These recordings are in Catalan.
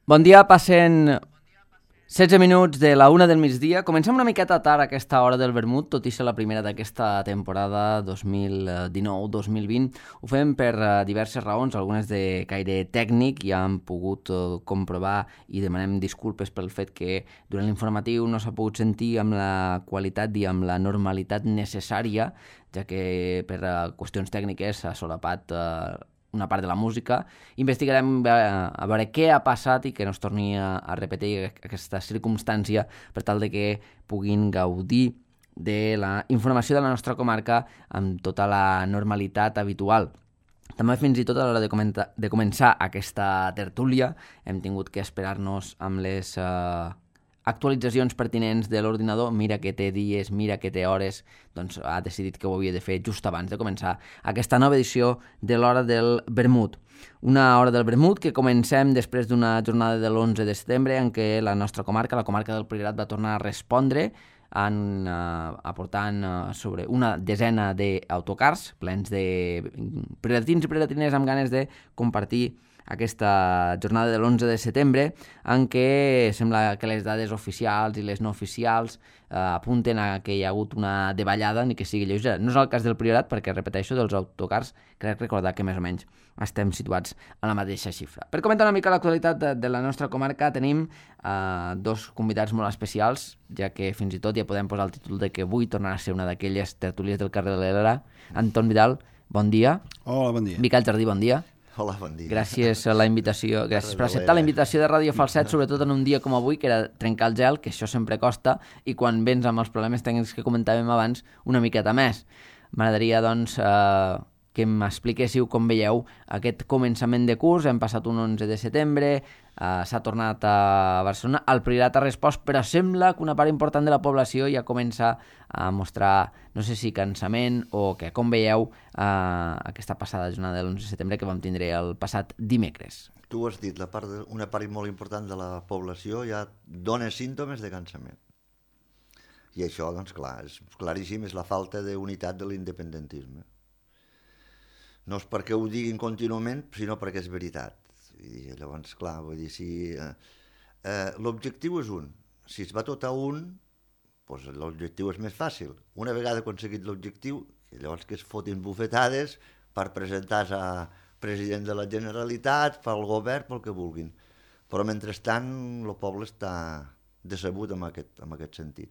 Bon dia, passen 16 minuts de la 1 del migdia. Comencem una miqueta tard a aquesta hora del vermut, tot i ser la primera d'aquesta temporada 2019-2020. Ho fem per diverses raons, algunes de caire tècnic, ja hem pogut comprovar i demanem disculpes pel fet que durant l'informatiu no s'ha pogut sentir amb la qualitat i amb la normalitat necessària, ja que per qüestions tècniques s'ha solapat una part de la música. Investigarem a veure què ha passat i que no es torni a repetir aquesta circumstància per tal de que puguin gaudir de la informació de la nostra comarca amb tota la normalitat habitual. També fins i tot a l'hora de començar aquesta tertúlia hem tingut que esperar-nos amb les actualitzacions pertinents de l'ordinador. Mira que té dies, mira que té hores, doncs ha decidit que ho havia de fer just abans de començar aquesta nova edició de l'Hora del Vermut. Una Hora del Vermut que comencem després d'una jornada de l'11 de setembre en què la nostra comarca, la comarca del Priorat, va tornar a respondre aportant sobre una desena d'autocars plens de prioratins i prioratines amb ganes de compartir aquesta jornada de l'11 de setembre en què sembla que les dades oficials i les no oficials apunten a que hi ha hagut una davallada ni que sigui lleugera. No és el cas del Priorat perquè, repeteixo, dels autocars crec recordar que més o menys estem situats a la mateixa xifra. Per comentar una mica l'actualitat de la nostra comarca tenim dos convidats molt especials, ja que fins i tot ja podem posar el títol de que avui tornarà a ser una d'aquelles tertúlies del carrer de l'Era. Anton Vidal, bon dia. Hola, bon dia. Miquel Jardí, bon dia. Hola, bon dia. Gràcies per acceptar la invitació de Ràdio Falset, sobretot en un dia com avui, que era trencar el gel, que això sempre costa, i quan vens amb els problemes tècnics que comentàvem abans, una miqueta més. M'agradaria, doncs, que m'expliquéssiu com veieu aquest començament de curs. Hem passat un 11 de setembre, s'ha tornat a Barcelona, el Priorat ha respost, però sembla que una part important de la població ja comença a mostrar, no sé si cansament o que, com veieu, aquesta passada jornada de l'11 de setembre que vam tindre el passat dimecres. Tu has dit, una part molt important de la població ja dona símptomes de cansament. I això, doncs clar, és claríssim, és la falta d'unitat de l'independentisme. No és perquè ho diguin contínuament, sinó perquè és veritat. I llavors, clar, vull dir, si l'objectiu és un. Si es va tot a un, doncs l'objectiu és més fàcil. Una vegada aconseguit l'objectiu, llavors que es fotin bufetades per presentar-se a president de la Generalitat, pel govern, pel que vulguin. Però mentrestant el poble està decebut en aquest sentit.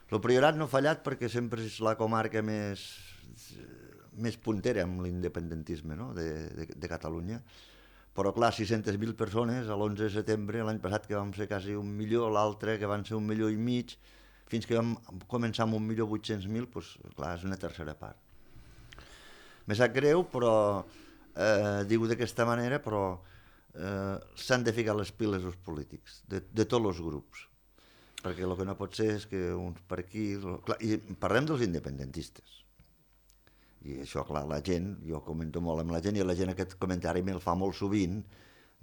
El Priorat no ha fallat perquè sempre és la comarca més puntera amb l'independentisme, no? de Catalunya. Però clar, 600.000 persones a l'11 de setembre, l'any passat que vam ser quasi 1 milió, l'altre que van ser 1,5 milions, fins que vam començar amb 1.800.000, doncs clar, és una tercera part. Me sap greu, però diu d'aquesta manera, però s'han de ficar les piles els polítics, de tots els grups. Perquè el que no pot ser és que uns per aquí... Clar, i parlem dels independentistes. I això, clar, la gent, jo comento molt amb la gent, i la gent aquest comentari me'l fa molt sovint,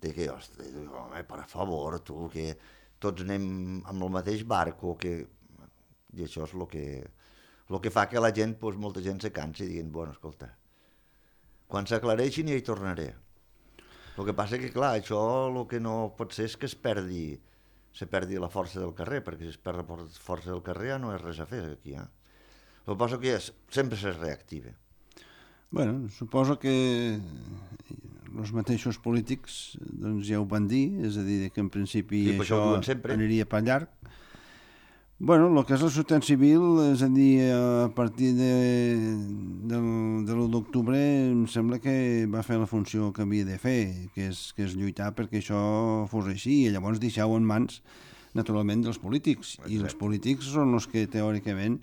de que, hosti, home, per favor, tu, que tots anem amb el mateix barco, que... I això és el que fa que la gent, doncs, molta gent se cansi, dient, bueno, escolta, quan s'aclareixin ja hi tornaré. El que passa que, clar, això el que no pot ser és que se perdi la força del carrer, perquè si es perd la força del carrer ja no és res a fer aquí, El que passa que sempre se reactiva. Bueno, suposo que els mateixos polítics doncs ja ho van dir, és a dir, que en principi sí, això aniria per llarg. Bueno, el que és la societat civil, és a dir, a partir de l'1 d'octubre em sembla que va fer la funció que havia de fer, que és lluitar perquè això fos així, i llavors deixar-ho en mans, naturalment, dels polítics. Exacte. I els polítics són els que, teòricament,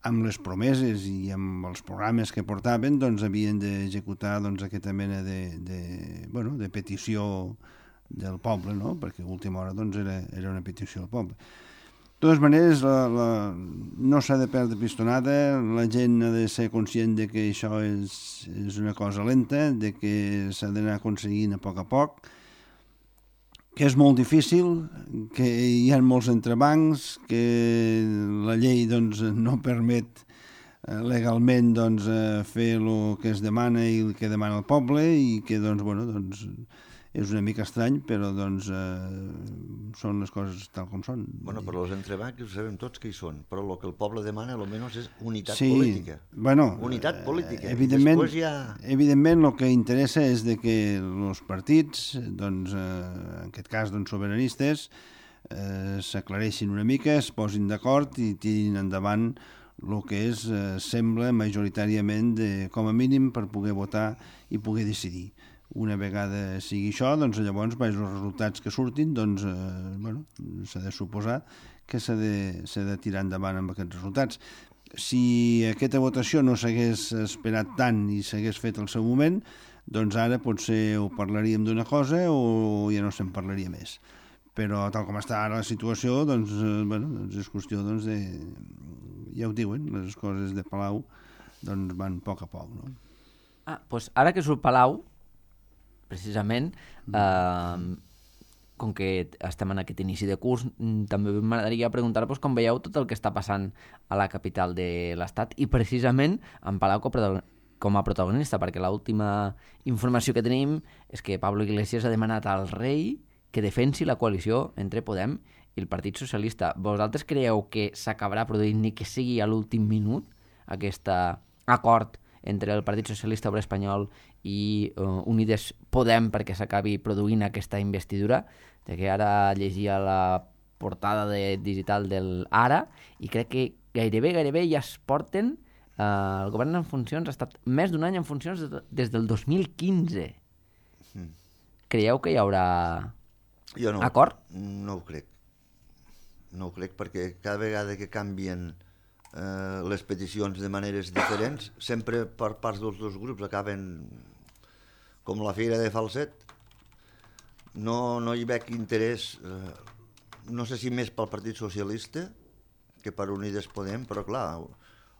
amb les promeses i amb els programes que portaven, doncs havien d'executar aquesta mena de petició del poble, no? Perquè a última hora doncs, era una petició del poble. De totes maneres, no s'ha de perdre pistonada, la gent ha de ser conscient de que això és una cosa lenta, de que s'ha d'anar aconseguint a poc, que és molt difícil, que hi ha molts entrebancs, que la llei doncs, no permet legalment doncs, fer el que es demana i el que demana el poble, i que doncs, bueno, doncs, és una mica estrany, però doncs són les coses tal com són. Bueno, però els entrebancs sabem tots que hi són, però el que el poble demana almenys és unitat sí, política. Bueno, unitat política. Evidentment, ja... evidentment el que interessa és de que els partits, doncs, en aquest cas doncs, sobiranistes, s'aclareixin una mica, es posin d'acord i tirin endavant el que és, sembla majoritàriament com a mínim per poder votar i poder decidir. Una vegada sigui això, doncs llavors els resultats que surtin, doncs bueno, s'ha de suposar que s'ha de tirar endavant amb aquests resultats. Si aquesta votació no s'hagués esperat tant i s'hagués fet al seu moment, doncs ara potser ho parlaríem d'una cosa o ja no se'n parlaria més. Però tal com està ara la situació, doncs, bueno, doncs és qüestió doncs, de... Ja ho diuen, les coses de Palau doncs van a poc, no? Doncs ara que surt Palau, precisament, com que estem en aquest inici de curs, també m'agradaria preguntar-vos com veieu tot el que està passant a la capital de l'Estat i precisament en Palau com a protagonista, perquè l'última informació que tenim és que Pablo Iglesias ha demanat al rei que defensi la coalició entre Podem i el Partit Socialista. Vosaltres creieu que s'acabarà produint ni que sigui a l'últim minut aquest acord entre el Partit Socialista Obrer Espanyol i Unides Podem perquè s'acabi produint aquesta investidura? Que ara llegia la portada digital del Ara i crec que gairebé ja es porten... el govern en funcions ha estat més d'un any en funcions des del 2015. Creieu que hi haurà acord? No ho crec. No ho crec perquè cada vegada que canvien les peticions de maneres diferents, sempre per parts dels dos grups acaben com la feira de falset. No hi veig interès, no sé si més pel Partit Socialista que per Unides Podem, però clar,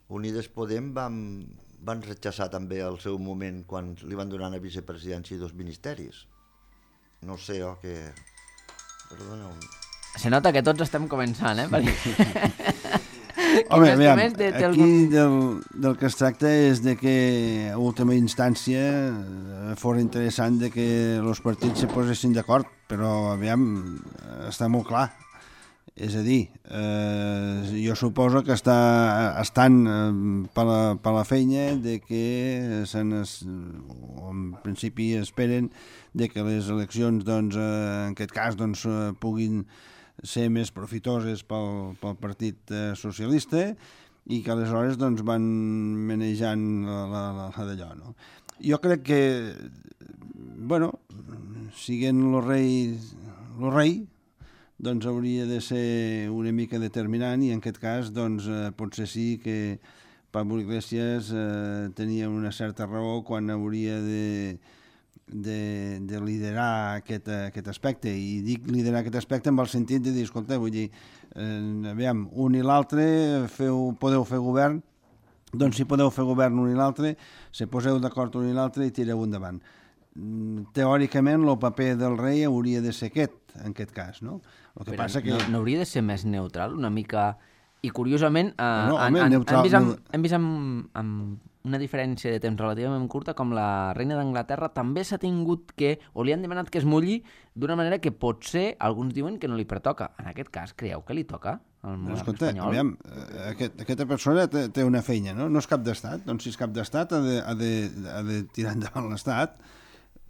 Unides Podem van rechaçar també al seu moment quan li van donar a vicepresidència 2 ministeris. No sé, que... Perdoneu. Se nota que tots estem començant, Perquè... Home, aviam, aquí del que es tracta és de que a última instància fos interessant de que els partits se posessin d'acord, però aviam, està molt clar. És a dir, jo suposo que estan per la feina de que en principi esperen de que les eleccions, doncs, en aquest cas, doncs, puguin ser més profitoses pel Partit Socialista i que aleshores doncs, van manejant la d'allò. No? Jo crec que, bueno, siguent el rei, doncs hauria de ser una mica determinant i en aquest cas doncs, potser sí que Pablo Iglesias tenia una certa raó quan hauria de liderar aquest aspecte, i dic liderar aquest aspecte en el sentit de dir, escolta, vull dir, aviam, un i l'altre podeu fer govern, doncs si podeu fer govern un i l'altre, se poseu d'acord un i l'altre i tireu endavant. Teòricament el paper del rei hauria de ser aquest, en aquest cas, no? El que passa que... No hauria de ser més neutral, una mica... I curiosament, hem vist amb una diferència de temps relativament curta com la reina d'Anglaterra també s'ha tingut que, o li han demanat que es mulli d'una manera que potser alguns diuen que no li pertoca. En aquest cas, creieu que li toca al monarca espanyol? Aviam, aquesta persona té una feina, no? No és cap d'estat, doncs si és cap d'estat ha de tirar endavant l'estat.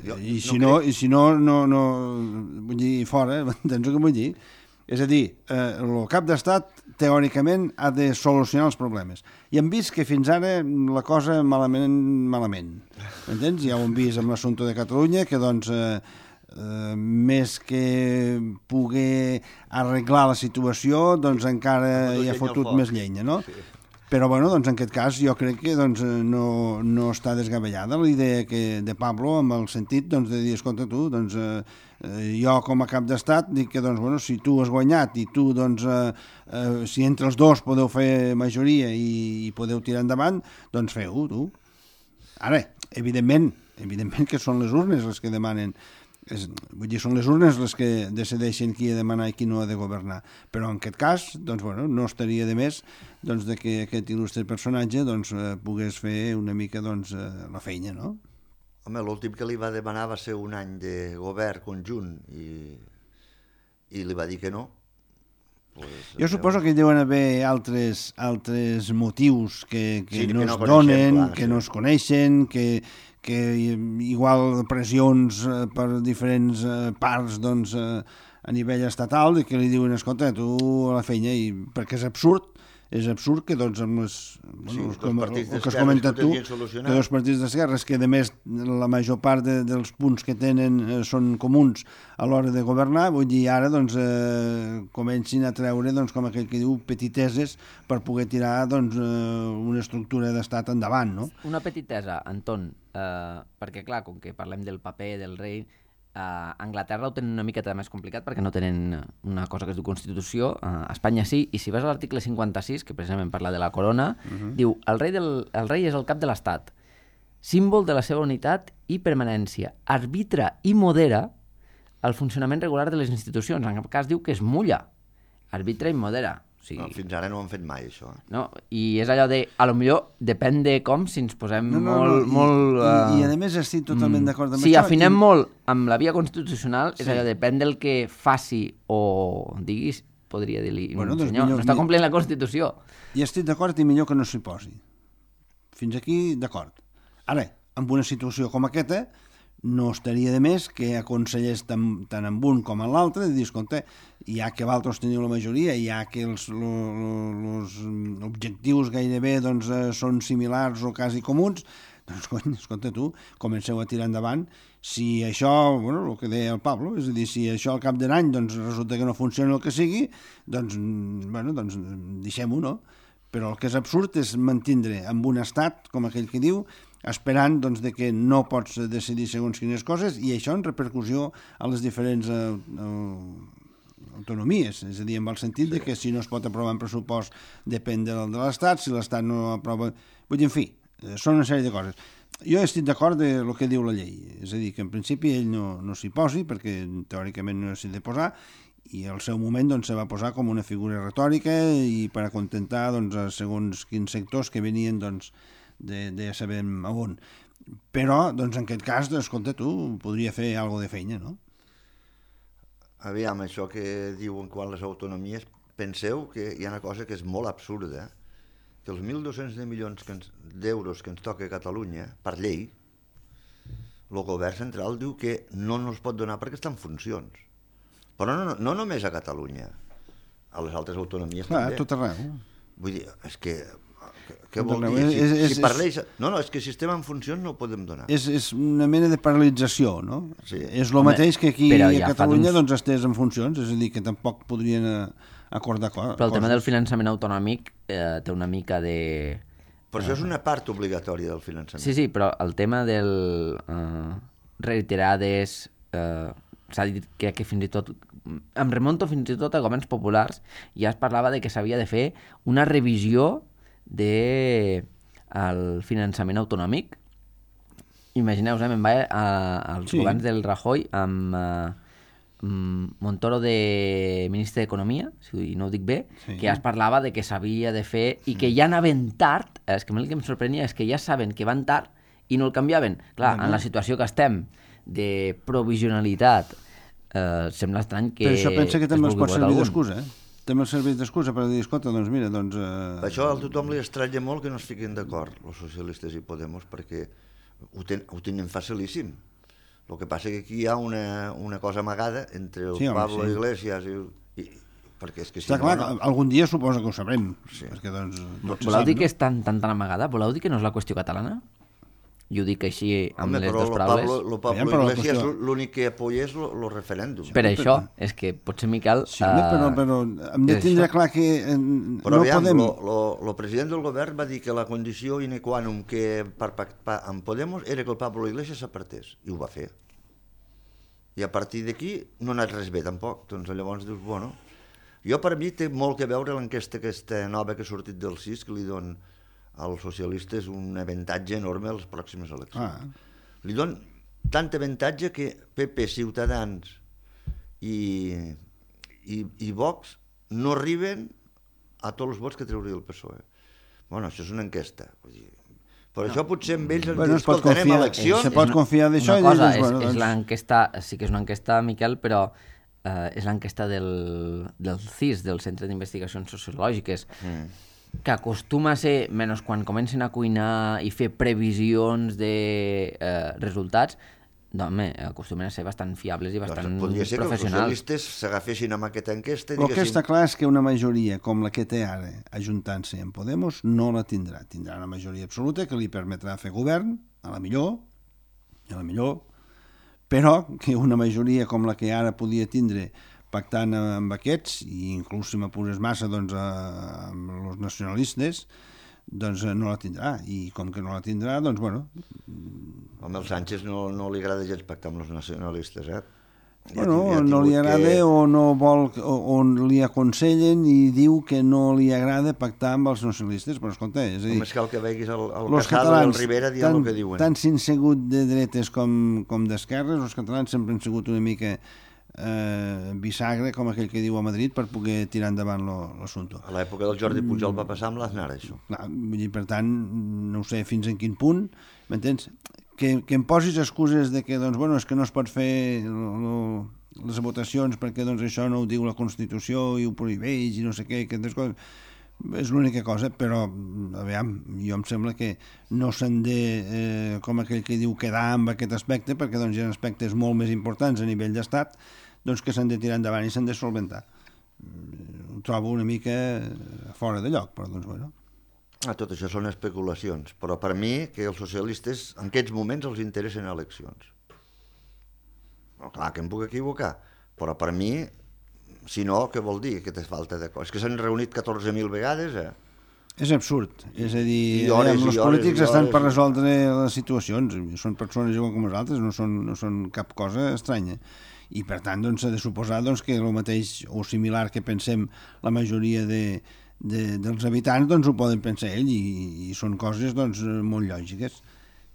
I si no, vull dir, fora, entens el que vull dir? És a dir, el cap d'estat, teòricament, ha de solucionar els problemes. I hem vist que fins ara la cosa malament. M'entens? Ja ho hem vist amb l'assumpte de Catalunya, que doncs, més que poder arreglar la situació, doncs encara hi ha fotut més llenya, no? Sí. Però, bueno, doncs en aquest cas jo crec que doncs, no està desgavellada la idea de Pablo amb el sentit doncs, de dir, escolta tu, doncs, jo com a cap d'estat dic que doncs, bueno, si tu has guanyat i tu, doncs, si entre els dos podeu fer majoria i podeu tirar endavant, doncs feu-ho, tu. Ara, evidentment que són les urnes les que demanen, vull dir, són les urnes les que decideixen qui ha de manar i qui no ha de governar, però en aquest cas doncs, bueno, no estaria de més doncs, de que aquest il·lustre personatge doncs, pogués fer una mica doncs, la feina, no? Home, l'últim que li va demanar va ser un any de govern conjunt i li va dir que no. Pues, jo suposo que hi deuen haver altres motius que Sí, no que es no coneixem, donen, clar, que sí. no es coneixen, que igual pressions per diferents parts doncs, a nivell estatal, que li diuen, escolta, tu a la feina, perquè és absurd que doncs amb les... Sí, Bueno, dos partits el que has d'esquerres comentat que ho tu, tenien solucionat. que dos partits d'esquerres, que a més la major part dels punts que tenen són comuns a l'hora de governar, vull dir, ara doncs, comencin a treure, doncs, com aquell que diu, petiteses per poder tirar doncs, una estructura d'estat endavant, no? Una petitesa, Anton, perquè clar, com que parlem del paper del rei, a Anglaterra ho tenen una miqueta més complicat perquè no tenen una cosa que es diu Constitució, a Espanya sí, i si vas a l'article 56, que precisament parla de la corona, diu, el rei és el cap de l'Estat, símbol de la seva unitat i permanència, arbitra i modera el funcionament regular de les institucions, en cap cas diu que es mulla, arbitra i modera. O sigui, No, fins ara no ho han fet mai, això. no? I és allò de, a lo millor, depèn de com, si ens posem molt... I a més estic totalment d'acord amb si això. afinem molt amb la via constitucional, és Sí. allò, depèn del que faci o diguis, podria dir-li, Bueno, doncs senyor, millor- no està complint la Constitució. I estic d'acord i millor que no s'hi posi. Fins aquí, d'acord. Ara, en una situació com aquesta, no estaria de més que aconsellés tant en un com en l'altre, de dir, escolta, ja que vosaltres teniu la majoria, ja que els objectius gairebé doncs, són similars o quasi comuns, doncs, cony, escolta tu, comenceu a tirar endavant. Si això, bueno, el que deia el Pablo, és a dir, si això al cap d'un any doncs, resulta que no funciona el que sigui, doncs, bueno, doncs deixem-ho, no? Però el que és absurd és mantindre amb un estat, com aquell que diu, esperant doncs, de que no pots decidir segons quines coses i això en repercussió a les diferents autonomies, és a dir, en el sentit de que si no es pot aprovar en pressupost depèn de l'Estat, si l'Estat no aprova... Vull dir, en fi, són una sèrie de coses. Jo estic d'acord de el que diu la llei, és a dir, que en principi ell no s'hi posi, perquè teòricament no s'hi ha de posar, i al seu moment doncs, se va posar com una figura retòrica i per acontentar doncs, a segons quins sectors que venien doncs, de ja sabem a on. Però, doncs, en aquest cas, escolta, tu, podria fer alguna de feina, no? Aviam, això que diuen quan les autonomies, penseu que hi ha una cosa que és molt absurda, que els 1.200 milions d'euros que ens toca a Catalunya, per llei, el govern central diu que no ens pot donar perquè està en funcions. Però no només a Catalunya, a les altres autonomies Clar, també. tot arreu. Vull dir, és que... Què Tot vol arreu. dir? Si parleix... No, és que si estem en funcions no ho podem donar. És una mena de paralització, no? Sí. És el mateix que aquí però a ja fa Catalunya temps- doncs, estès en funcions, és a dir, que tampoc podrien acordar coses. Però el tema del finançament autonòmic té una mica de... Però això és una part obligatòria del finançament. Sí, sí, però el tema del reiterades... s'ha dit que fins i tot... Em remonto fins i tot a governs populars, ja es parlava de que s'havia de fer una revisió del finançament autonòmic. Imagineu-vos, me'n vaig als Sí. governs del Rajoy amb Montoro de ministre d'Economia, si no ho dic bé, Sí. que ja es parlava de que s'havia de fer i que ja anaven tard. És que a mi el que em sorprenia és que ja saben que van tard i no el canviaven. Clar, en la situació que estem de provisionalitat, sembla estrany que Però això pensa que també es els pot vulgui servir votar d'excusa, També els serveix d'excusa per dir, escolta, doncs mira, doncs... Per això a tothom li estranya molt que no es fiquin d'acord, els socialistes i Podemos, perquè ho tenen facilíssim. El que passa que aquí hi ha una cosa amagada entre el Sí, home, Pablo sí. Iglesias i perquè és que si Està clar, no... algun dia suposa que ho sabrem, Sí. perquè doncs... tot se Voleu sap, dir no? que és tan amagada? Voleu dir que no és la qüestió catalana? I ho dic així amb Home, les però dues el paraules. Pablo Aviam, però la Iglesias qüestió- l'únic que apoya és el referèndum. Per això, és que potser, Miquel... Sí, home, però hem de és tindre això. clar que Però no aviam, podem... el president del govern va dir que la condició ine qua non que per pactar amb Podemos era que el Pablo Iglesias s'apartés, i ho va fer. I a partir d'aquí no ha anat res bé tampoc, doncs llavors dius, bueno... Jo per mi té molt que veure l'enquesta aquesta nova que ha sortit del CIS, que li don als socialistes un avantatge enorme a les pròximes eleccions. Li don tant avantatge que PP, Ciutadans i Vox no arriben a tots els vots que trauria el PSOE. Bueno, això és una enquesta. Vull dir, Però això potser amb ells ens Bueno, diuen, escolta, anem a eleccions. Se pot confiar d'això i una cosa, dius, bueno, és doncs... l'enquesta, sí que és una enquesta, Miquel, però és l'enquesta del CIS, del Centre d'Investigacions Sociològiques, que acostuma a ser, menys quan comencen a cuinar i fer previsions de resultats, home, acostumen a ser bastant fiables i bastant Podria ser que els professionals. socialistes s'agafessin amb aquesta enquesta i El que diguessin... està clar és que una majoria com la que té ara, ajuntant-se amb Podemos, no la tindrà. Tindrà una majoria absoluta que li permetrà fer govern, a la millor, però que una majoria com la que ara podia tindre pactant amb aquests, i inclús si m'apures massa doncs, amb els nacionalistes, doncs no la tindrà. I com que no la tindrà, doncs bueno... Home, el Sánchez no li agrada gens pactar amb els nacionalistes, eh? Bueno, no li agrada o no vol, o li aconsellen i diu que no li agrada pactar amb els nacionalistes, però escolta, és a dir... Només cal que veguis el els Casado i el catalans, Rivera dient el que diuen. tant si han sigut de dretes com d'esquerres, els catalans sempre han sigut una mica bisagre, com aquell que diu a Madrid, per poder tirar endavant l'assumpte. A l'època del Jordi Pujol va passar amb l'Aznar, això. Clar, vull dir, per tant, no sé fins en quin punt, m'entens? Que em posis excuses de que, doncs, bueno, és que no es pot fer les votacions perquè doncs, això no ho diu la Constitució i ho prohibeix i no sé què, aquestes coses. És l'única cosa, però, aviam, jo em sembla que no s'han de, com aquell que diu, quedar amb aquest aspecte, perquè doncs, hi ha aspectes molt més importants a nivell d'estat doncs, que s'han de tirar endavant i s'han de solventar. Ho trobo una mica fora de lloc, però doncs, bueno... Tot això són especulacions, però per mi que els socialistes en aquests moments els interessen eleccions. No, clar que em puc equivocar, però per mi, si no, què vol dir? Que té falta de coses. És que s'han reunit 14.000 vegades, eh? És absurd, és a dir, hores, els polítics estan per resoldre les situacions, són persones igual com nosaltres, no són cap cosa estranya. I per tant doncs, s'ha de suposar doncs, que el mateix o similar que pensem la majoria dels habitants doncs ho poden pensar ell i són coses doncs, molt lògiques.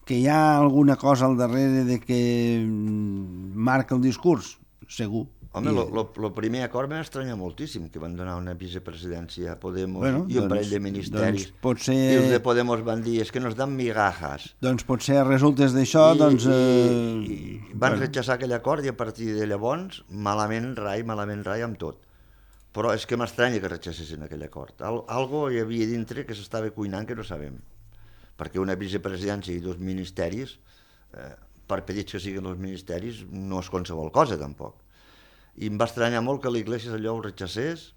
Que hi ha alguna cosa al darrere de que marca el discurs? Segur. Home, el primer acord m'ha estranyat moltíssim, que van donar una vicepresidència a Podemos i un doncs, parell de ministeris. Doncs potser... I els de Podemos van dir, és que nos dan migajas. Doncs potser a resultes d'això, doncs... I van rechaçar aquell acord i a partir de llavors, malament rai amb tot. Però és que m'estranya que rechassessin aquell acord. Algo hi havia dintre que s'estava cuinant que no sabem. Perquè una vicepresidència i 2 ministeris, per petits que siguin els ministeris, no és qualsevol cosa, tampoc. I em va estranyar molt que l'Iglesias allò ho rechassés,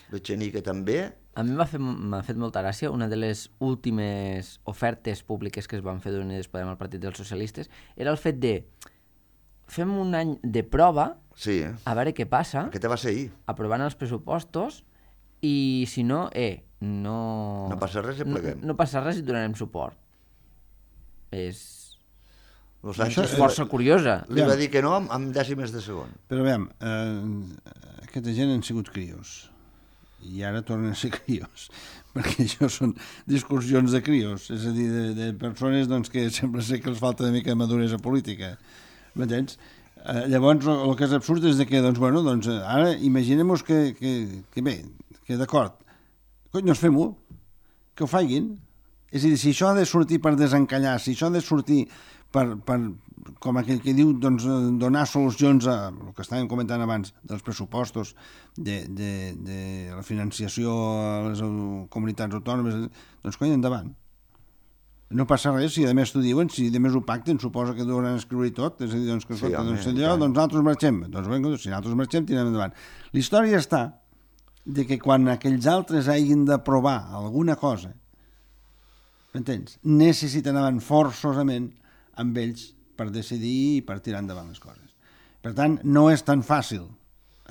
l'Echenique també. A mi m'ha fet molta gràcia, una de les últimes ofertes públiques que es van fer d'Unides Podem al Partit dels Socialistes era el fet de fem un any de prova, sí, a veure què passa, aquesta va ser ahir. Aprovant els pressupostos, i si no, no passa res i pleguem. No passa res i donarem suport. És Sánchez força curiosa. Li va dir que no amb dècimes de segon. Però veiem, aquesta gent han sigut crios i ara tornen a ser crios perquè això són discussions de crios, és a dir, de persones doncs, que sembla ser que els falta una mica de maduresa política, m'entens? Llavors el que és absurd és que doncs, bueno, doncs, ara imaginem-nos que bé, que d'acord, doncs fem-ho, que ho faiguin. És a dir, si això ha de sortir per desencallar, si això ha de sortir per com aquell que diu, doncs, donar solucions a el que estàvem comentant abans, dels pressupostos, de la financiació a les comunitats autònomes, doncs coi, endavant. No passa res, si a més t'ho diuen, si a més ho pacten, suposa que deuen escriure tot, és a dir, doncs, que sí, doncs nosaltres marxem, doncs vinga, si nosaltres marxem, tirem endavant. La història està de que quan aquells altres hagin d'aprovar alguna cosa, m'entens? Necessitaran forçosament amb ells per decidir i per tirar endavant les coses. Per tant, no és tan fàcil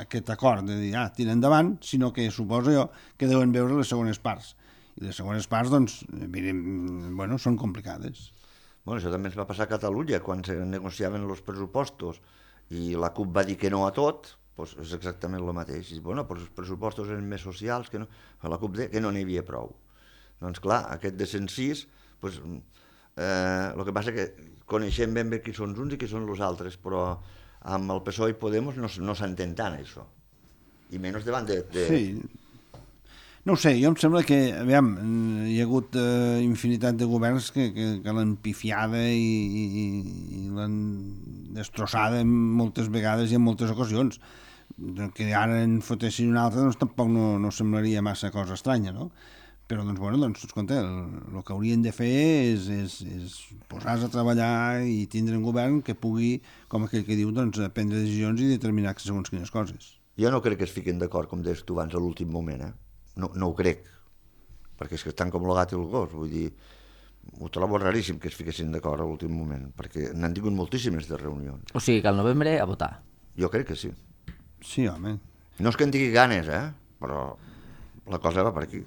aquest acord de dir, tira endavant, sinó que suposo jo que deuen veure les segones parts. I les segones parts, doncs, bueno, són complicades. Bueno, això també ens va passar a Catalunya, quan se negociaven els pressupostos i la CUP va dir que no a tot, doncs és exactament el mateix. I, bueno, però els pressupostos eren més socials, que no, la CUP deia que no n'hi havia prou. Doncs clar, aquest de 106, doncs, el que passa que coneixem ben bé qui són uns i qui són els altres, però amb el PSOE i Podemos no s'entén tant, això. I menys davant de... Sí. No ho sé, jo em sembla que, aviam, hi ha hagut infinitat de governs que l'han pifiada i l'han destrossada moltes vegades i en moltes ocasions. Que ara en fotessin un altre, doncs tampoc no semblaria massa cosa estranya, no? Però, doncs, bueno, escolta, el que haurien de fer és posar-se a treballar i tindre un govern que pugui, com aquell que diu, doncs, prendre decisions i determinar segons quines coses. Jo no crec que es fiquin d'acord, com deies tu abans, a l'últim moment, No ho crec, perquè és que estan com el gat i el gos, vull dir, ho trobo raríssim que es fiquessin d'acord a l'últim moment, perquè n'han tingut moltíssimes de reunions. O sigui que al novembre a votar. Jo crec que sí. Sí, home. No és que en tingui ganes, però la cosa va per aquí.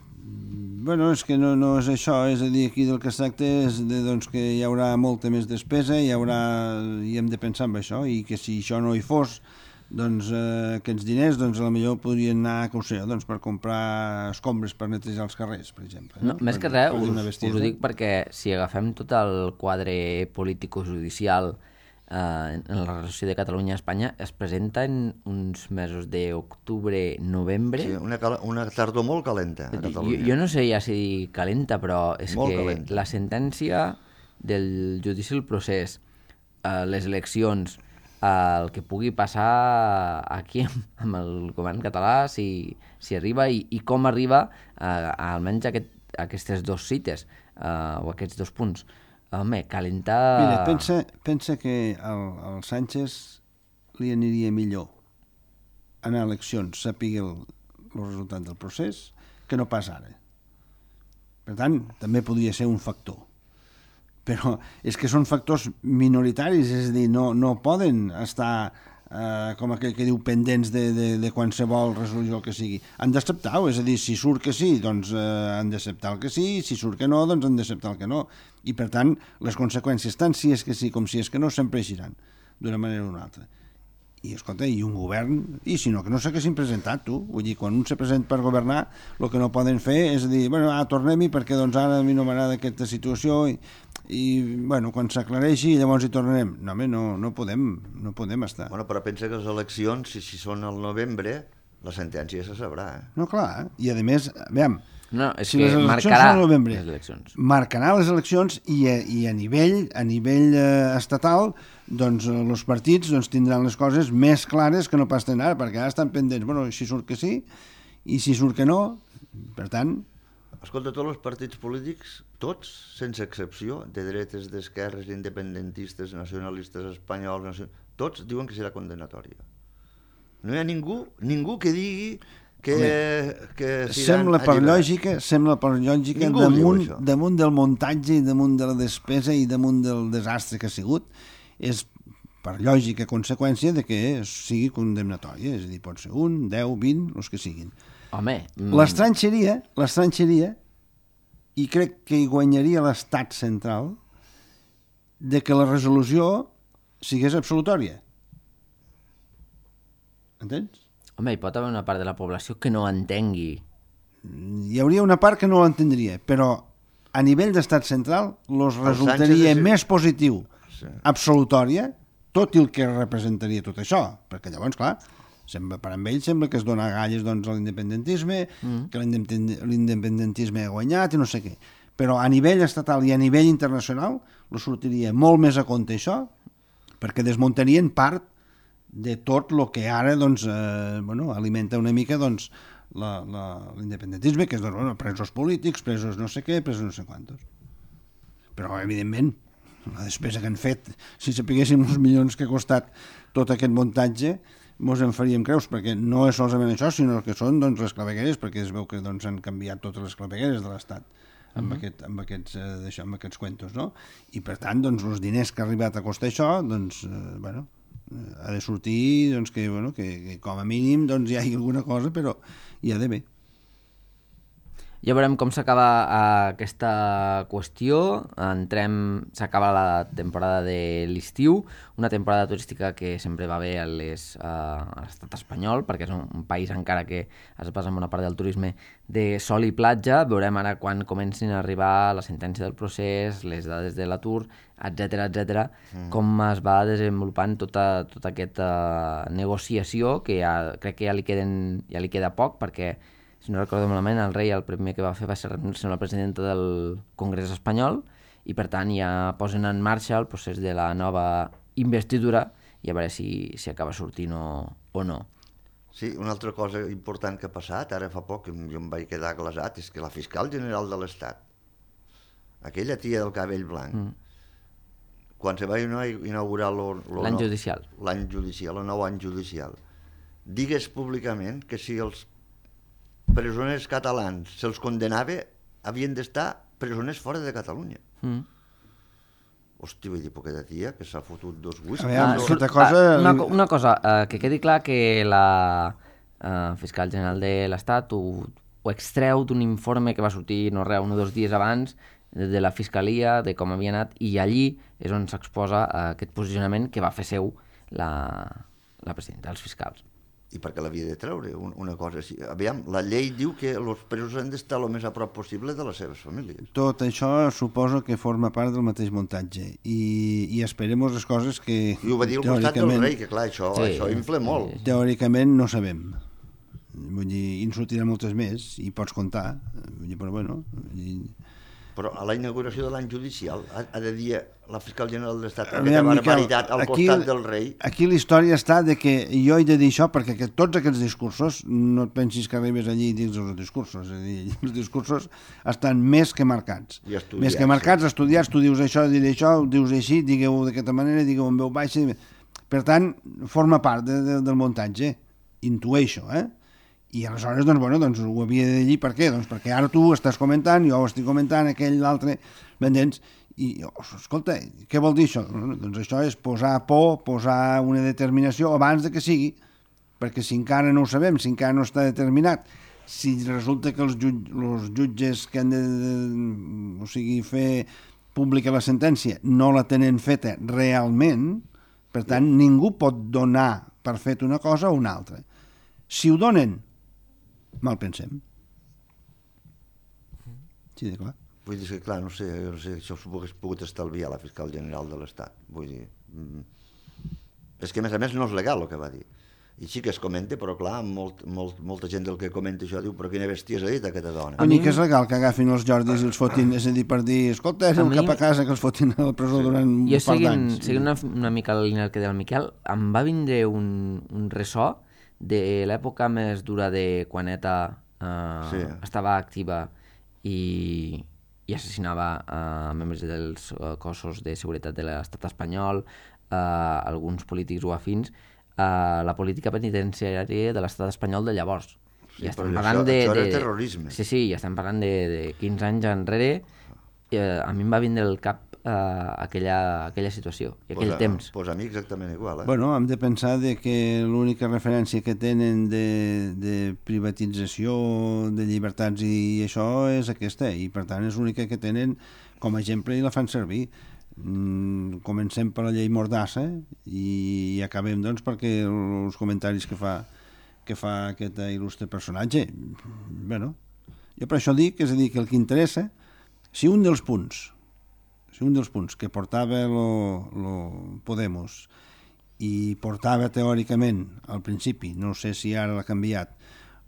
Bueno, és que no és això, és a dir, aquí del que es tracta és doncs, que hi haurà molta més despesa, i hem de pensar en això, i que si això no hi fos, doncs aquests diners, doncs potser podrien anar, que ho sé, doncs, per comprar escombres per netejar els carrers, per exemple. No, més que res, us ho dic perquè si agafem tot el quadre político-judicial en la relació de Catalunya a Espanya, es presenta en uns mesos d'octubre-novembre. Sí, una tardor molt calenta a Catalunya. Jo no sé ja si calenta, però és molt que calenta. La sentència del judici del procés, les eleccions, el que pugui passar aquí amb el govern català, si arriba i com arriba almenys aquestes dues cites o aquests dos punts. Home, calentar... Mira, pensa que al Sánchez li aniria millor anar a eleccions, sàpiga el resultat del procés, que no pas ara. Per tant, també podria ser un factor. Però és que són factors minoritaris, és a dir, no poden estar, com aquell que diu, pendents de qualsevol resolució que sigui. Han d'acceptar-ho, és a dir, si surt que sí, doncs han d'acceptar el que sí, si surt que no, doncs han d'acceptar el que no. I, per tant, les conseqüències, tant si és que sí com si és que no, sempre eixiran, d'una manera o una altra. I, escolta, i un govern, i si no, que no s'haguessin presentat, tu. Vull dir, quan un se presenta per governar, el que no poden fer és dir, bueno, tornem-hi perquè doncs ara a mi no m'agrada aquesta situació i bueno, quan s'aclareixi llavors hi tornarem. No, home, no podem estar. Bueno, però pensa que les eleccions, si són al novembre, la sentència se sabrà, No, clar, i a més, veiem, No, és si que les eleccions marcarà són al novembre, les eleccions. marcarà les eleccions i a nivell estatal, doncs els partits tindran les coses més clares que no pas tenen ara, perquè ara estan pendents, bueno, si surt que sí, i si surt que no, per tant... Escolta, tots els partits polítics, tots, sense excepció, de dretes, d'esquerres, independentistes, nacionalistes espanyols, tots diuen que serà condenatòria. No hi ha ningú que digui que sembla per lògica damunt del muntatge i damunt de la despesa i damunt del desastre que ha sigut, és per lògica conseqüència de que sigui condemnatòria, és a dir, pot ser 1, 10, 20, els que siguin. Home... L'estrany seria, i crec que hi guanyaria l'estat central, de que la resolució sigués absolutòria. Entens? Home, hi pot haver una part de la població que no entengui. Hi hauria una part que no ho entendria, però a nivell d'estat central resultaria més positiu absolutòria, tot el que representaria tot això, perquè llavors, clar, per amb ell sembla que es dona galles a l'independentisme, que l'independentisme ha guanyat i no sé què. Però a nivell estatal i a nivell internacional sortiria molt més a compte això, perquè desmuntarien part de tot el que ara alimenta una mica l'independentisme, que és presos polítics, presos no sé què, presos no sé quantos. Però, evidentment, la despesa que han fet, si sapiguéssim els milions que ha costat tot aquest muntatge, mos en faríem creus, perquè no és solament això, sinó que són les clavegueres, perquè es veu que han canviat totes les clavegueres de l'Estat amb aquests cuentos, no? I per tant, els diners que ha arribat a costar això, ha de sortir que com a mínim hi hagi alguna cosa, però hi ha d'haver. Ja veurem com s'acaba aquesta qüestió. S'acaba la temporada de l'estiu, una temporada turística que sempre va bé a l'estat espanyol, perquè és un país encara que es basa en una part del turisme de sol i platja. Veurem ara quan comencin a arribar la sentència del procés, les dades de l'atur, etc, com es va desenvolupant tota aquesta negociació, que crec que ja li queda poc, perquè si no recordo malament, el rei el primer que va fer va ser reunir-se amb la presidenta del Congrés espanyol i per tant ja posen en marxa el procés de la nova investidura i a veure si acaba sortint o no. Sí, una altra cosa important que ha passat, ara fa poc, jo em vaig quedar glaçat, és que la fiscal general de l'Estat, aquella tia del cabell blanc, quan se va inaugurar l'any judicial, el nou any judicial, digues públicament que si els presoners catalans se'ls condenava, havien d'estar presoners fora de Catalunya. Hòstia, vull dir, poqueta tia, que s'ha fotut dos whisky. Una cosa, que quedi clar que la fiscal general de l'Estat ho extreu d'un informe que va sortir, no res, 1 o 2 dies abans, de la Fiscalia, de com havia anat, i allí és on s'exposa aquest posicionament que va fer seu la presidenta dels fiscals. I per què l'havia de treure? Una cosa així. Aviam, la llei diu que els presos han d'estar el més a prop possible de les seves famílies. Tot això suposo que forma part del mateix muntatge i esperem les coses que... I ho va dir al costat del rei, que clar, això infla molt. Teòricament no sabem. Vull dir, i en sortiran moltes més i pots comptar. Vull dir, però bueno... Però a la inauguració de l'any judicial ha de dir la fiscal general de l'Estat aquesta barbaritat al costat del rei. Aquí la història està de que jo he de dir això perquè tots aquests discursos, no et pensis que arribes allí i dius els discursos, és a dir, els discursos estan més que marcats. Més que marcats, estudiats, tu dius això, diré això, ho dius així, digueu d'aquesta manera, digueu en veu baixa. Per tant, forma part del muntatge, intueixo, I aleshores, doncs ho havia de dir per què? Doncs perquè ara tu estàs comentant, jo ho estic comentant, aquell, l'altre, m'entens? I, escolta, què vol dir això? Doncs això és posar por, posar una determinació abans de que sigui, perquè si encara no ho sabem, si encara no està determinat, si resulta que els jutges que han de fer pública la sentència no la tenen feta realment, per tant, ningú pot donar per fet una cosa o una altra. Si ho donen, mal pensem. Sí, de clar. Vull dir que, clar, no sé, això s'ho hagués pogut estalviar la fiscal general de l'Estat. Vull dir... És que, a més, no és legal el que va dir. I sí que es comenta, però, clar, molta gent del que comenta això diu però quina bèstia s'ha dit aquesta dona. Ni que és legal que agafin els Jordis i els fotin, és a dir, per dir, escolta, anem cap a casa, que els fotin a la presó durant un par d'anys. Jo, seguint una mica la línia que deia el Miquel, em va vindre un ressò de l'època més dura de quan ETA estava activa i assassinava membres dels cossos de seguretat de l'estat espanyol, alguns polítics o afins, la política penitenciària de l'estat espanyol de llavors. Sí, però això era terrorisme. Sí, ja estem parlant de 15 anys enrere. A mi em va vindre al cap aquella situació i aquell temps. Doncs a mi exactament igual. Bueno, hem de pensar que l'única referència que tenen de privatització de llibertats i això és aquesta, i per tant és l'única que tenen com a exemple i la fan servir. Comencem per la llei Mordassa i acabem doncs perquè els comentaris que fa aquest il·lustre personatge. Bueno, jo per això dic, és a dir, que el que interessa, si un dels punts que portava lo Podemos i portava teòricament al principi, no sé si ara l'ha canviat,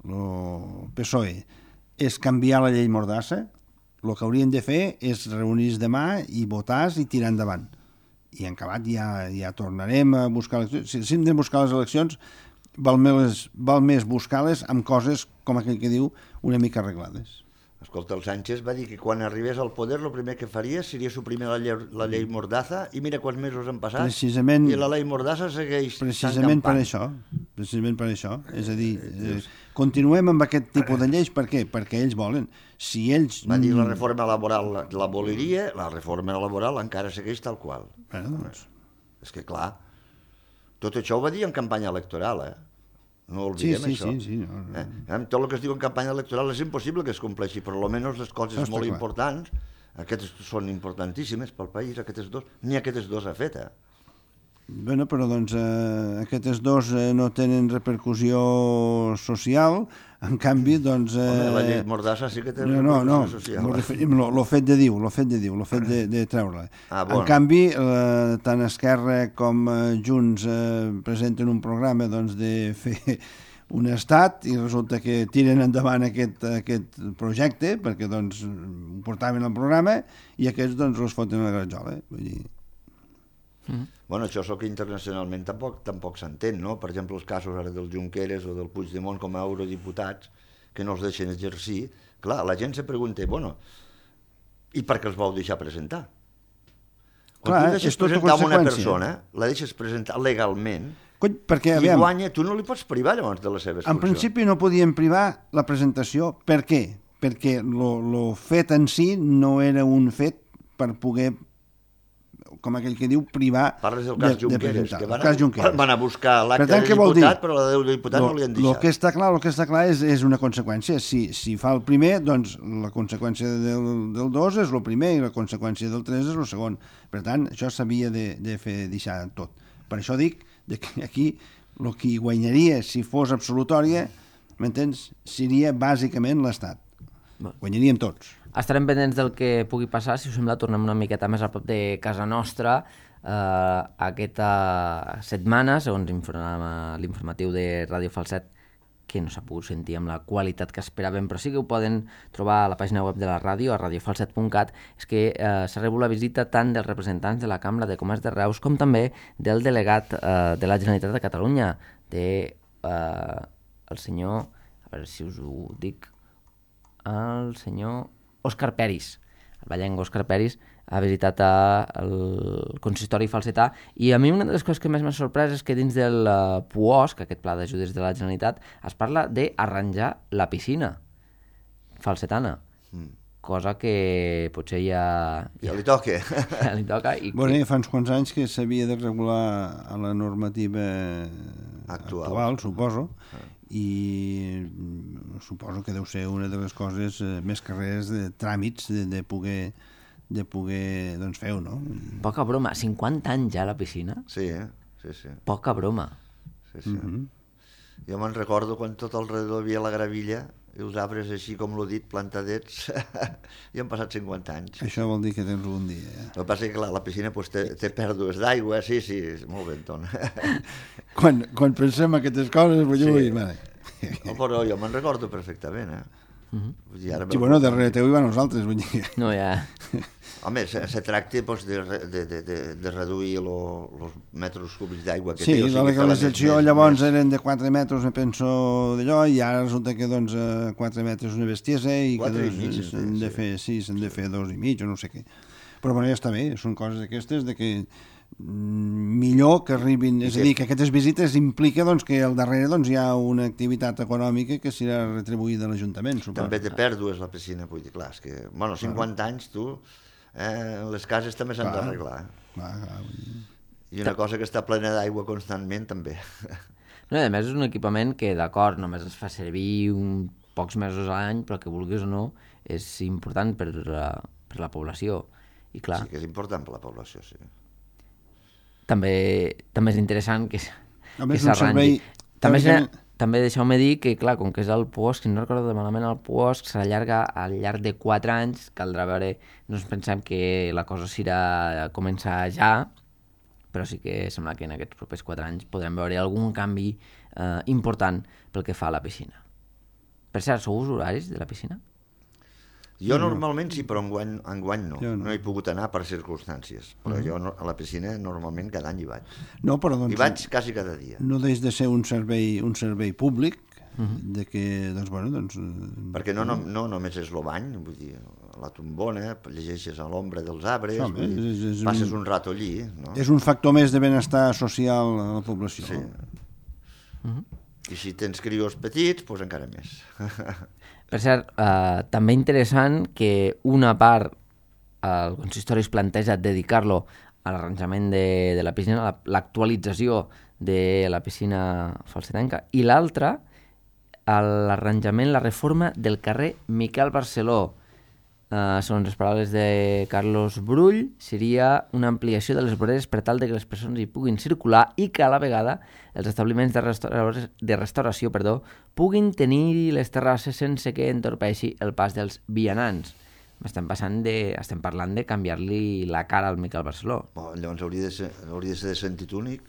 lo PSOE, és canviar la llei Mordassa, el que haurien de fer és reunir-se demà i votar i tirar endavant. I en acabat ja tornarem a buscar eleccions. Si hem de buscar les eleccions, val més buscar-les amb coses, com aquell que diu, una mica arreglades. Escolta, el Sánchez va dir que quan arribés al poder el primer que faria seria suprimir la llei Mordaza i mira quants mesos han passat i la llei Mordaza segueix precisament per això. És a dir, continuem amb aquest tipus de lleis. Per què? Perquè ells volen. Si ells... Va dir la reforma laboral l'aboliria, la reforma laboral encara segueix tal qual. Doncs. És que clar, tot això ho va dir en campanya electoral, no oblidem això. Sí. Tot el que es diu en campanya electoral és impossible que es compleixi, però almenys les coses molt importants, aquestes són importantíssimes pel país, ni aquestes dos ha fet. Bueno, però doncs aquestes dos no tenen repercussió social, en canvi, doncs... La llei Mordassa sí que té repercussió social. No, referim el fet de dir, el fet de treure-la. En canvi, tant Esquerra com Junts presenten un programa doncs, de fer un estat i resulta que tiren endavant aquest projecte perquè doncs ho portaven al programa i aquests doncs els foten a la granjola. Vull dir... Bueno, això és el que internacionalment tampoc s'entén, no? Per exemple, els casos ara del Junqueras o del Puigdemont com a eurodiputats que no els deixen exercir. Clar, la gent se pregunta, bueno, i per què els vau deixar presentar? Quan Clar, tu deixes és tota presentar una conseqüència. persona, la deixes presentar legalment, Cony, perquè, i aviam, guanya, tu no li pots privar llavors de les seves en funcions. principi no podien privar la presentació. Per què? Perquè lo fet en si no era un fet per poder, com aquell que diu, privar Parles del cas Junqueras, que van a buscar l'acte de diputat, però la de diputat no li han deixat. El que està clar és una conseqüència. Si fa el primer, doncs la conseqüència del 2 és el primer i la conseqüència del 3 és el segon. Per tant, això s'havia de deixar tot. Per això dic que aquí el que guanyaria si fos absolutòria, m'entens, seria bàsicament l'Estat. Guanyaríem tots. Estarem pendents del que pugui passar. Si us sembla, tornem una miqueta més a prop de casa nostra. Aquesta setmana, segons l'informatiu de Ràdio Falset, que no s'ha pogut sentir amb la qualitat que esperàvem, però sí que ho poden trobar a la pàgina web de la ràdio, a radiofalset.cat, és que s'ha rebut la visita tant dels representants de la Cambra de Comerç de Reus com també del delegat de la Generalitat de Catalunya, el senyor, a veure si us ho dic, el senyor Òscar Peris. El ballenc Òscar Peris ha visitat el consistori falsetà i a mi una de les coses que més m'ha sorprès és que dins del PUOSC, aquest Pla d'Ajudes de la Generalitat, es parla d'arranjar la piscina falsetana, cosa que potser ja li toca. Ja li toca. Bueno, fa uns quants anys que s'havia de regular a la normativa actual, suposo, i suposo que deu ser una de les coses més que res de tràmits de poder doncs fer-ho, no? Poca broma, 50 anys ja a la piscina? Sí, sí. Poca broma. Sí. Jo me'n recordo quan tot alrededor hi havia la gravilla i els arbres així com l'ho dit, plantadets, i han passat 50 anys. Això vol dir que tens un dia. El que passa és que clar, la piscina pues, té pèrdues d'aigua, sí, molt bé, Anton. Quan pensem aquestes coses, vull dir, vale. No, però jo me'n recordo perfectament, Sí, bueno, darrere teu hi va nosaltres, vull dir. No, ja... Home, se tracta pues, de reduir els metres cúbics d'aigua que té. Sí, la legalització llavors eren de 4 metres, me penso, d'allò, i ara resulta que doncs 4 metres una bestiesa i que s'han de fer 2,5 o no sé què. Però bueno, ja està bé, són coses aquestes de que millor que arribin, és a dir, que aquestes visites implica doncs, que al darrere doncs, hi ha una activitat econòmica que serà retribuïda a l'Ajuntament, suposo. També té pèrdues la piscina, vull dir, clar, és que, bueno, 50 anys, tu, les cases també s'han d'arreglar. I una cosa que està plena d'aigua constantment, també. No, a més, és un equipament que, d'acord, només es fa servir pocs mesos a l'any, però que vulguis o no, és important per la població. I clar, sí, que és important per la població, sí. També és interessant que s'arrangi. També deixeu-me dir que, clar, com que és el PUOSC, si no recordo malament, el PUOSC s'allarga al llarg de 4 anys, caldrà veure, no ens pensem que la cosa serà començar ja, però sí que sembla que en aquests propers 4 anys podrem veure algun canvi important pel que fa a la piscina. Per cert, sou usuaris de la piscina? Jo normalment sí, però enguany no. No he pogut anar per circumstàncies. Però jo a la piscina normalment cada any hi vaig. No, però doncs... Hi vaig quasi cada dia. No deix de ser un servei públic, de que, doncs, bueno, doncs... Perquè no només és el bany, vull dir, la tombona, llegeixes a l'ombra dels arbres, passes un rato allí, no? És un factor més de benestar social a la població. Sí. I si tens crios petits, doncs encara més. Per cert, també interessant que una part el consistori es planteja dedicar-lo a l'arranjament de la piscina, l'actualització de la piscina falsetanca, i l'altra, l'arranjament, la reforma del carrer Miquel Barceló. Segons les paraules de Carlos Brull, seria una ampliació de les voreres per tal de que les persones hi puguin circular i que a la vegada els establiments de restauració puguin tenir les terrasses sense que entorpeixi el pas dels vianants. Estem parlant de canviar-li la cara al Miquel Barceló. Llavors hauria de ser de sentit únic?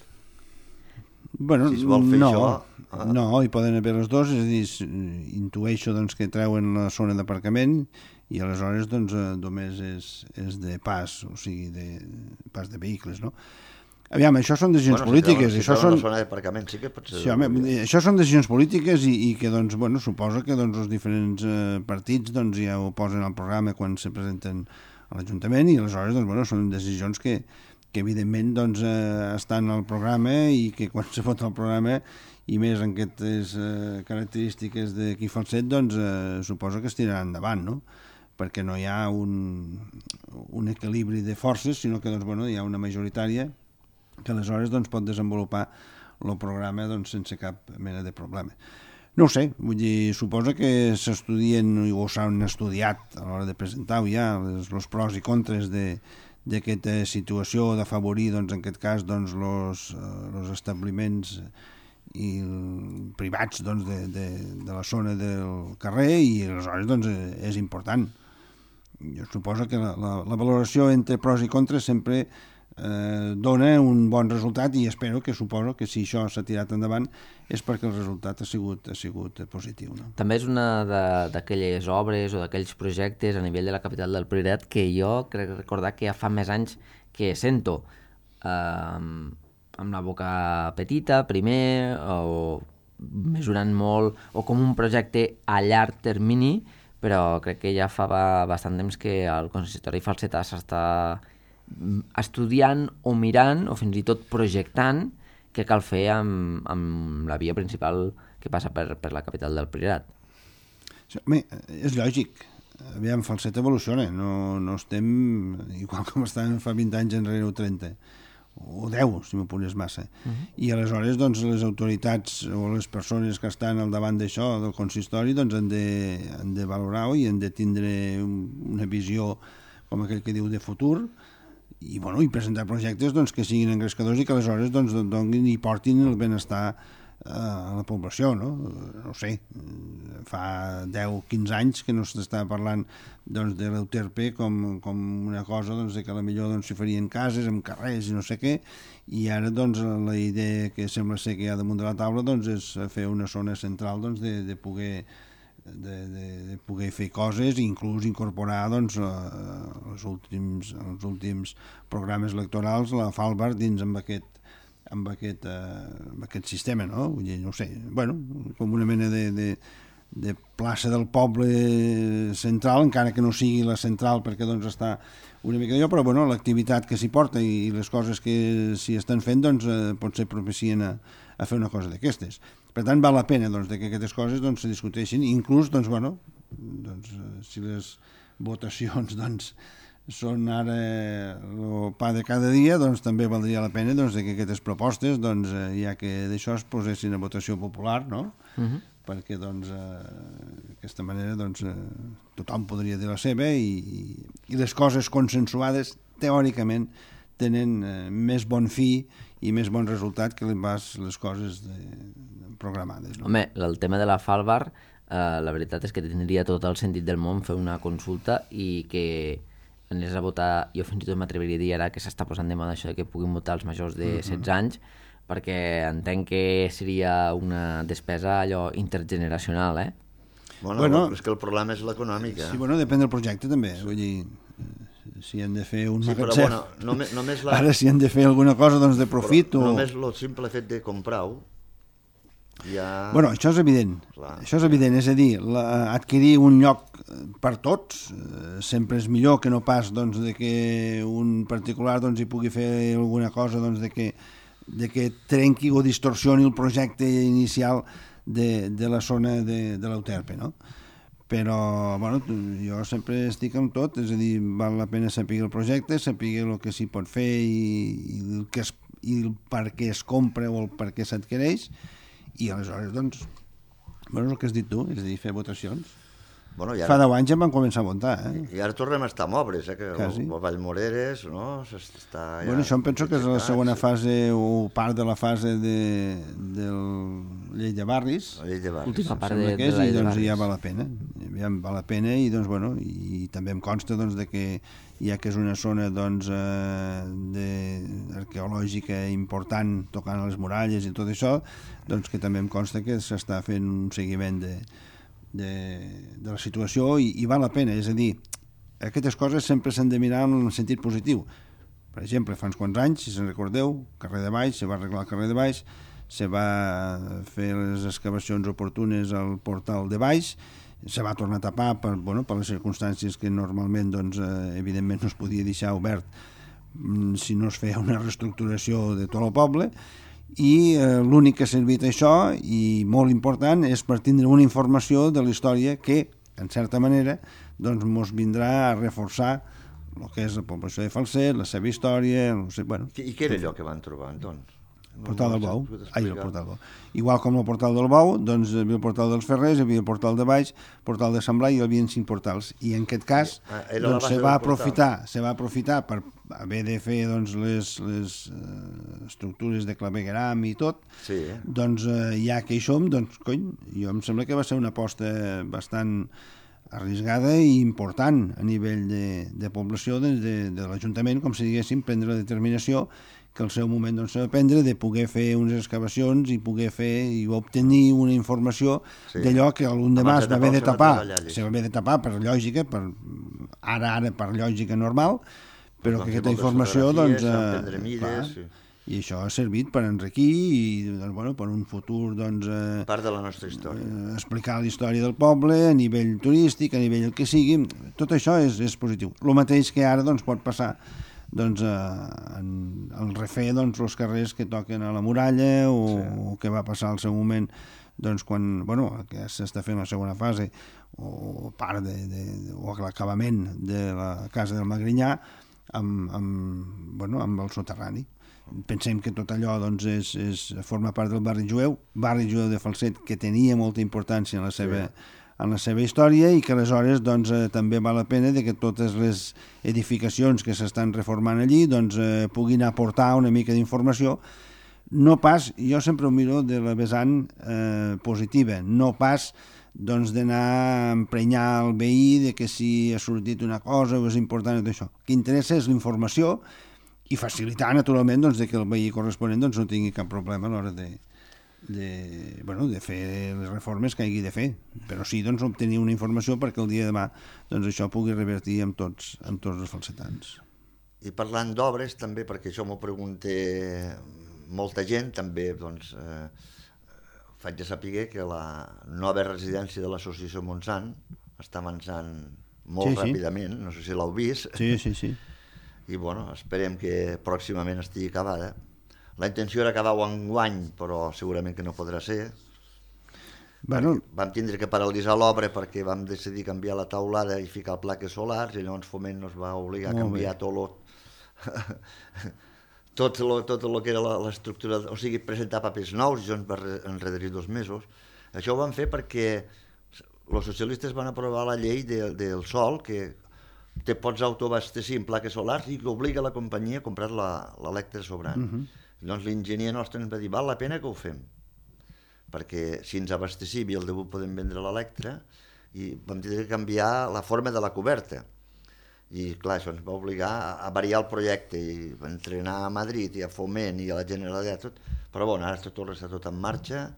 Bueno, si es vol fer això... No, hi poden haver les dues, és a dir, intueixo doncs, que treuen la zona d'aparcament i aleshores doncs, només és de pas, o sigui, de pas de vehicles, no? Aviam, això són decisions polítiques. Si treuen la zona d'aparcament sí que pot ser... Sí, home, això són decisions polítiques i que, doncs, bueno, suposo que doncs, els diferents partits doncs, ja ho posen al programa quan se presenten a l'Ajuntament i aleshores doncs, bueno, són decisions que evidentment doncs, estan al programa i que quan se vota el programa i més en aquestes característiques de qui fa el set, doncs suposo que es tirarà endavant, no? Perquè no hi ha un equilibri de forces, sinó que doncs, bueno, hi ha una majoritària que aleshores doncs, pot desenvolupar el programa doncs, sense cap mena de problema. No ho sé, vull dir, suposo que s'estudien o s'han estudiat a l'hora de presentar-ho ja, els pros i contres d'aquesta situació d'afavorir, doncs, en aquest cas, doncs, els establiments privats doncs, de la zona del carrer i aleshores doncs, és important. Jo suposo que la valoració entre pros i contres sempre dona un bon resultat i suposo que si això s'ha tirat endavant és perquè el resultat ha sigut positiu. No? També és una d'aquelles obres o d'aquells projectes a nivell de la capital del Priorat que jo crec recordar que ja fa més anys que sento amb la boca petita primer o mesurant molt o com un projecte a llarg termini, però crec que ja fa bastant temps que el consistori Falsetà s'està estudiant o mirant o fins i tot projectant què cal fer amb la via principal que passa per la capital del Priorat. Home, és lògic. Aviam, Falset evoluciona. No estem igual com estàvem fa 20 anys enrere o 30 o 10, si m'apures massa. I aleshores doncs, les autoritats o les persones que estan al davant d'això, del consistori, doncs, han de valorar-ho i han de tindre una visió, com aquell que diu, de futur, i presentar projectes doncs, que siguin engrescadors i que aleshores doncs, donin i portin el benestar a la població, no? No sé, fa 10-15 anys que no s'està parlant doncs, de l'Euterpe com una cosa doncs, de que potser doncs, s'hi farien cases amb carrers i no sé què, i ara doncs, la idea que sembla ser que hi ha damunt de la taula doncs, és fer una zona central doncs, de poder fer coses i inclús incorporar doncs, els últims programes electorals la Falbar dins amb aquest sistema, no? Vull dir, no sé, com una mena de plaça del poble central, encara que no sigui la central perquè doncs està una mica d'allò, però l'activitat que s'hi porta i les coses que s'hi estan fent doncs, potser propicien a fer una cosa d'aquestes. Per tant, val la pena doncs, que aquestes coses doncs, se discuteixin, inclús doncs, si les votacions doncs, són ara el pa de cada dia, doncs també valdria la pena doncs, que aquestes propostes, doncs, ja que d'això es posessin a votació popular, no? Perquè doncs, d'aquesta manera doncs, tothom podria dir la seva i les coses consensuades teòricament tenen més bon fi i més bon resultat que les coses programades. No? Home, el tema de la Falbar, la veritat és que tindria tot el sentit del món fer una consulta i que anés a votar, jo fins i tot m'atreviria a dir ara que s'està posant de moda això que puguin votar els majors de 16 anys, perquè entenc que seria una despesa allò intergeneracional, Bueno, és que el problema és l'econòmic, Sí, depèn del projecte també, vull dir, si han de fer un magatzem, però només ara si han de fer alguna cosa doncs, de profit només el simple fet de comprar-ho ja... Això és evident. Això és evident, és a dir, adquirir un lloc per tots sempre és millor que no pas doncs, de que un particular doncs, hi pugui fer alguna cosa doncs, de que trenqui o distorsioni el projecte inicial de la zona de l'Euterpe, no? Però jo sempre estic amb tot, és a dir, val la pena saber el projecte, saber el que s'hi pot fer i el per què es compra o el per què s'adquireix, i aleshores, doncs, el que has dit tu, és a dir, fer votacions. Fa 10 anys ja van començar a votar, I ara tornem a estar a obres, que el Vallmoreres, no? Està ja... Això em penso que és la segona fase o part de la fase de Llei de Barris. Última part de la Llei de Barris. I ja val la pena. Ja val la pena i, doncs, i també em consta doncs, de que ja que és una zona doncs, arqueològica arqueològica important tocant a les muralles i tot això, doncs que també em consta que s'està fent un seguiment de la situació i val la pena, és a dir, aquestes coses sempre s'han de mirar en el sentit positiu. Per exemple, fa uns quants anys, si se'n recordeu, carrer de Baix, se va arreglar el carrer de Baix, se va fer les excavacions oportunes al portal de Baix, se va tornar a tapar per les circumstàncies que normalment, doncs, evidentment no es podia deixar obert si no es feia una reestructuració de tot el poble, i l'únic que ha servit això, i molt important, és per tindre una informació de la història que, en certa manera, doncs mos vindrà a reforçar el que és la població de Falset, la seva història... I què era allò que van trobar, doncs? El portal del Bou. El portal del Bou. Igual com el portal del Bou, doncs hi havia el portal dels Ferrers, hi havia el portal de Baix, el portal de Sant Blai, i hi havia 5 portals. I en aquest cas doncs, se va aprofitar per haver de fer doncs, les estructures de clavegueram i tot, sí. Doncs ja que hi som, doncs cony, jo em sembla que va ser una aposta bastant arriscada i important a nivell de població de l'Ajuntament, com si diguéssim, prendre la determinació que al seu moment doncs, s'ha de prendre de poder fer unes excavacions i poder fer i obtenir una informació d'allò que l'endemà es va haver de tapar. Se va haver de tapar per lògica, ara per lògica normal, però que aquesta informació, doncs, i això ha servit per enriquir i doncs, per un futur, doncs, part de la nostra història. Explicar la història del poble a nivell turístic, a nivell el que sigui, tot això és positiu. El mateix que ara doncs, pot passar doncs, el refer doncs, els carrers que toquen a la muralla o que va passar al seu moment doncs, quan que s'està fent la segona fase o part o l'acabament de la casa del Magrinyà amb el soterrani. Pensem que tot allò doncs, forma part del barri jueu de Falset, que tenia molta importància en la seva història i que aleshores doncs, també val la pena que totes les edificacions que s'estan reformant allí doncs, puguin aportar una mica d'informació, no pas, jo sempre ho miro de la vessant positiva, no pas doncs, d'anar a emprenyar el veí de que si ha sortit una cosa o és important tot això. El que interessa és la informació i facilitar naturalment doncs, que el veí corresponent doncs, no tingui cap problema a l'hora de fer les reformes que hagi de fer, però sí doncs, obtenir una informació perquè el dia de demà doncs, això pugui revertir amb tots els falsetans. I parlant d'obres també, perquè això m'ho pregunta molta gent, també doncs, faig de saber que la nova residència de l'associació Montsant està avançant molt ràpidament, no sé si l'heu vist. Sí. I esperem que pròximament estigui acabada. La intenció era acabar-ho enguany, però segurament que no podrà ser. Vam tindre que paralitzar l'obra perquè vam decidir canviar la taulada i ficar plaques solars, i llavors Foment ens va obligar a canviar tot el que era l'estructura, o sigui, presentar papers nous, i això ens va enrederir 2 mesos. Això ho vam fer perquè els socialistes van aprovar la llei del sol, que te pots autoabastecir en plaques solars i que obliga la companyia a comprar l'electre sobrant. Llavors l'enginyer nostre ens va dir, val la pena que ho fem, perquè si ens abastecim i el debut podem vendre l'electre, i vam tenir que canviar la forma de la coberta. I clar, això ens va obligar a variar el projecte, i vam entrenar a Madrid i a Foment i a la Generalitat, tot. Però ara està tot en marxa,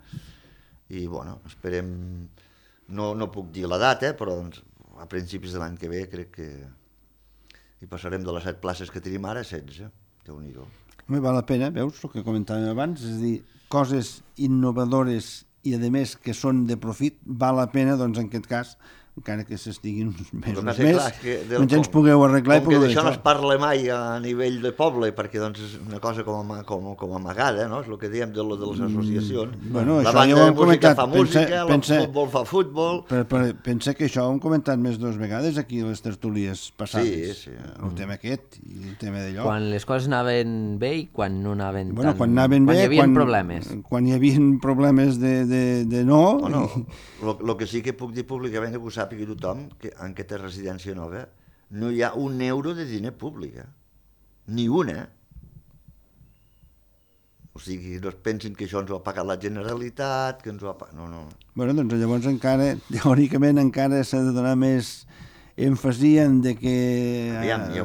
i esperem, no puc dir la data, però a principis de l'any que ve crec que hi passarem de les 7 places que tenim ara a 16, Déu-n'hi-do. Val la pena, veus, el que comentàvem abans, és a dir, coses innovadores i, a més, que són de profit, val la pena, doncs, en aquest cas, encara que s'estiguin uns mesos més, doncs ens pugueu arreglar. Com que d'això no es parla mai a nivell de poble, perquè doncs, és una cosa com amagada, no? És el que diem de les associacions. La banda de música fa música, el futbol fa futbol... Pensa que això ho hem comentat més 2 vegades aquí a les tertúlies passades. Sí. El tema aquest i el tema d'allò. Quan les coses anaven bé i quan no anaven tan... Quan hi havia problemes. Quan hi havia problemes de no... El que sí que puc dir públicament, que ho sàpiga tothom, que en aquesta residència nova no hi ha un euro de diner públic. Ni una. O sigui, no es pensin que això ens ho ha pagat la Generalitat, que ens ho ha pagat... No. Doncs llavors encara, teòricament, encara s'ha de donar més emfasien de que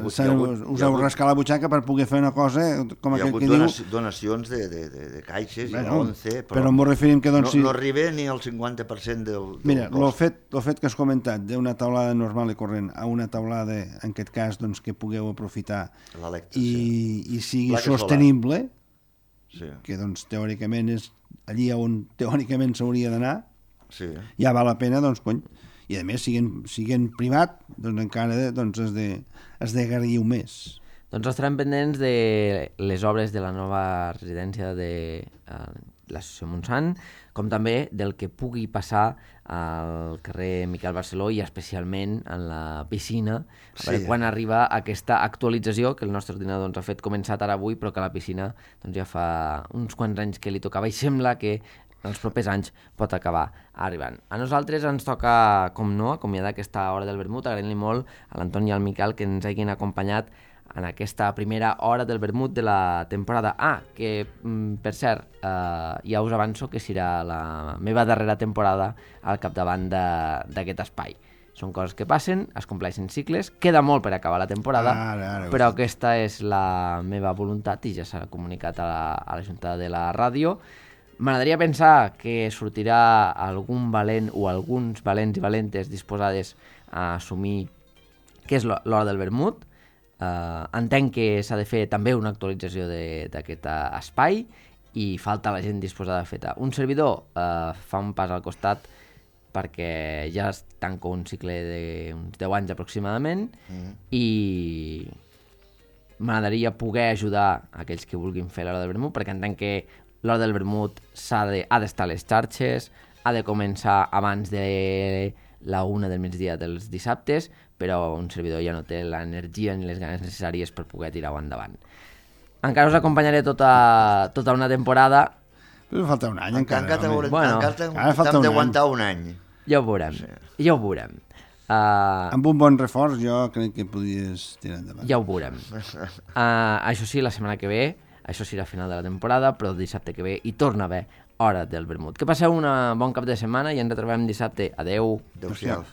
us heu rascat la butxaca per poder fer una cosa com hi ha aquell hagut que diu... donacions de caixes, Bueno, 11, però m'ho referim que doncs... no arriba ni al 50% del Mira, cost. el fet que has comentat d'una taulada normal i corrent a una taulada, en aquest cas, doncs, que pugueu aprofitar i sigui sostenible, que doncs teòricament és allí on teòricament s'hauria d'anar, ja val la pena, doncs, cony. I a més, siguent privat, doncs encara es degarriu més. Doncs estarem pendents de les obres de la nova residència de l'Associació Montsant, com també del que pugui passar al carrer Miquel Barceló i especialment en la piscina, a veure quan arriba aquesta actualització que el nostre ordinador ens ha fet començat ara avui, però que la piscina doncs, ja fa uns quants anys que li tocava i sembla que els propers anys pot acabar arribant. A nosaltres ens toca, com no, acomiadar aquesta hora del vermut, agraint-li molt a l'Antoni i al Miquel que ens hagin acompanyat en aquesta primera hora del vermut de la temporada A, que, per cert, ja us avanço que serà la meva darrera temporada al capdavant d'aquest espai. Són coses que passen, es compleixen cicles, queda molt per acabar la temporada, però aquesta és la meva voluntat i ja s'ha comunicat a la Junta de la Ràdio. M'agradaria pensar que sortirà algun valent o alguns valents i valentes disposades a assumir què és l'hora del vermut. Entenc que s'ha de fer també una actualització d'aquest espai i falta la gent disposada a fer-ho. Un servidor fa un pas al costat perquè ja es tanca un cicle d'uns 10 anys aproximadament i m'agradaria poder ajudar aquells que vulguin fer l'hora del vermut, perquè entenc que l'hora del vermut ha d'estar a les xarxes, ha de començar abans de la 1 del migdia dels dissabtes, però un servidor ja no té l'energia ni les ganes necessàries per poder tirar-ho endavant. Encara us acompanyaré tota una temporada. Però falta un any encara. Encara t'hem d'aguantar un any. Ja ho veurem. Amb un bon reforç jo crec que podries tirar endavant. Ja ho veurem. Això sí, la setmana que ve, això serà final de la temporada, però el dissabte que ve hi torna a haver hora del vermut. Que passeu un bon cap de setmana i ens retrobem dissabte. Adeu. Adéu-siau.